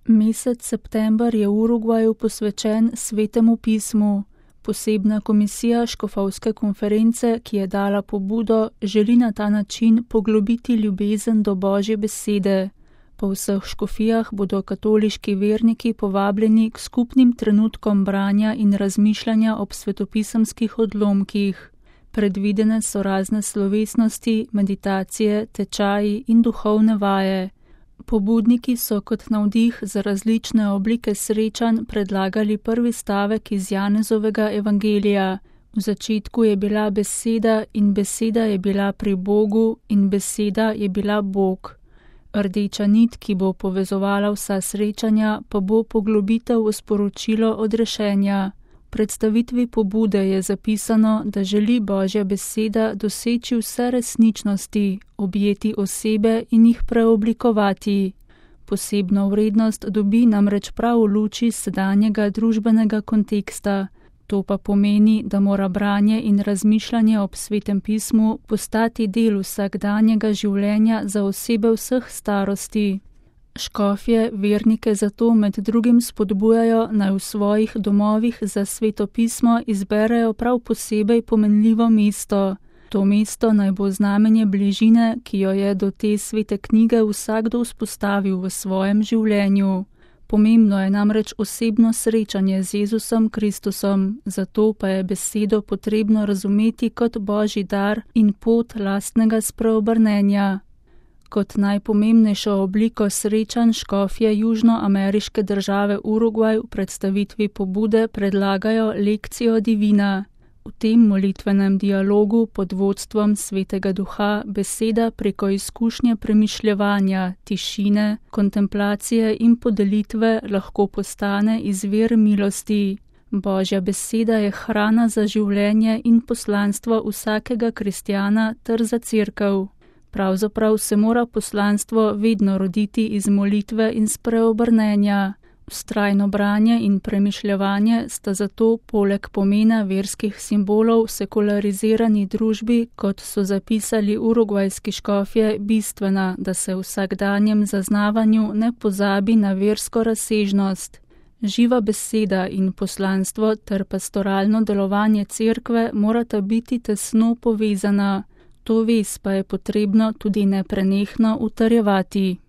Mesec september je v Urugvaju posvečen Svetemu pismu. Posebna komisija škofovske konference, ki je dala pobudo, želi na ta način poglobiti ljubezen do Božje besede. Po vseh škofijah bodo katoliški verniki povabljeni k skupnim trenutkom branja in razmišljanja ob svetopisemskih odlomkih. Predvidene so razne slovesnosti, meditacije, tečaji in duhovne vaje. Pobudniki so kot navdih za različne oblike srečanj predlagali prvi stavek iz Janezovega evangelija. V začetku je bila beseda in beseda je bila pri Bogu in beseda je bila Bog. Rdeča nit, ki bo povezovala vsa srečanja, pa bo poglobitev v sporočilo odrešenja. V predstavitvi pobude je zapisano, da želi Božja beseda doseči vse resničnosti, objeti osebe in jih preoblikovati. Posebno vrednost dobi namreč prav v luči sedanjega družbenega konteksta. To pa pomeni, da mora branje in razmišljanje ob Svetem pismu postati del vsakdanjega življenja za osebe vseh starosti. Škofje vernike zato med drugim spodbujajo, naj v svojih domovih za Sveto pismo izberejo prav posebej pomenljivo mesto. To mesto naj bo znamenje bližine, ki jo je do te svete knjige vsakdo vzpostavil v svojem življenju. Pomembno je namreč osebno srečanje z Jezusom Kristusom, zato pa je besedo potrebno razumeti kot Božji dar in pot lastnega spreobrnenja. Kot najpomembnejšo obliko srečanj škofje južnoameriške države Urugvaj v predstavitvi pobude predlagajo lekcijo divina. V tem molitvenem dialogu pod vodstvom Svetega Duha beseda preko izkušnje premišljevanja, tišine, kontemplacije in podelitve lahko postane izvir milosti. Božja beseda je hrana za življenje in poslanstvo vsakega kristjana ter za cerkev. Pravzaprav se mora poslanstvo vedno roditi iz molitve in spreobrnenja. Vztrajno branje in premišljevanje sta zato poleg pomena verskih simbolov v sekularizirani družbi, kot so zapisali urugvajski škofje, bistvena, da se v vsakdanjem zaznavanju ne pozabi na versko razsežnost. Živa beseda in poslanstvo ter pastoralno delovanje cerkve morata biti tesno povezana. To vez pa je potrebno tudi neprenehno utrjevati.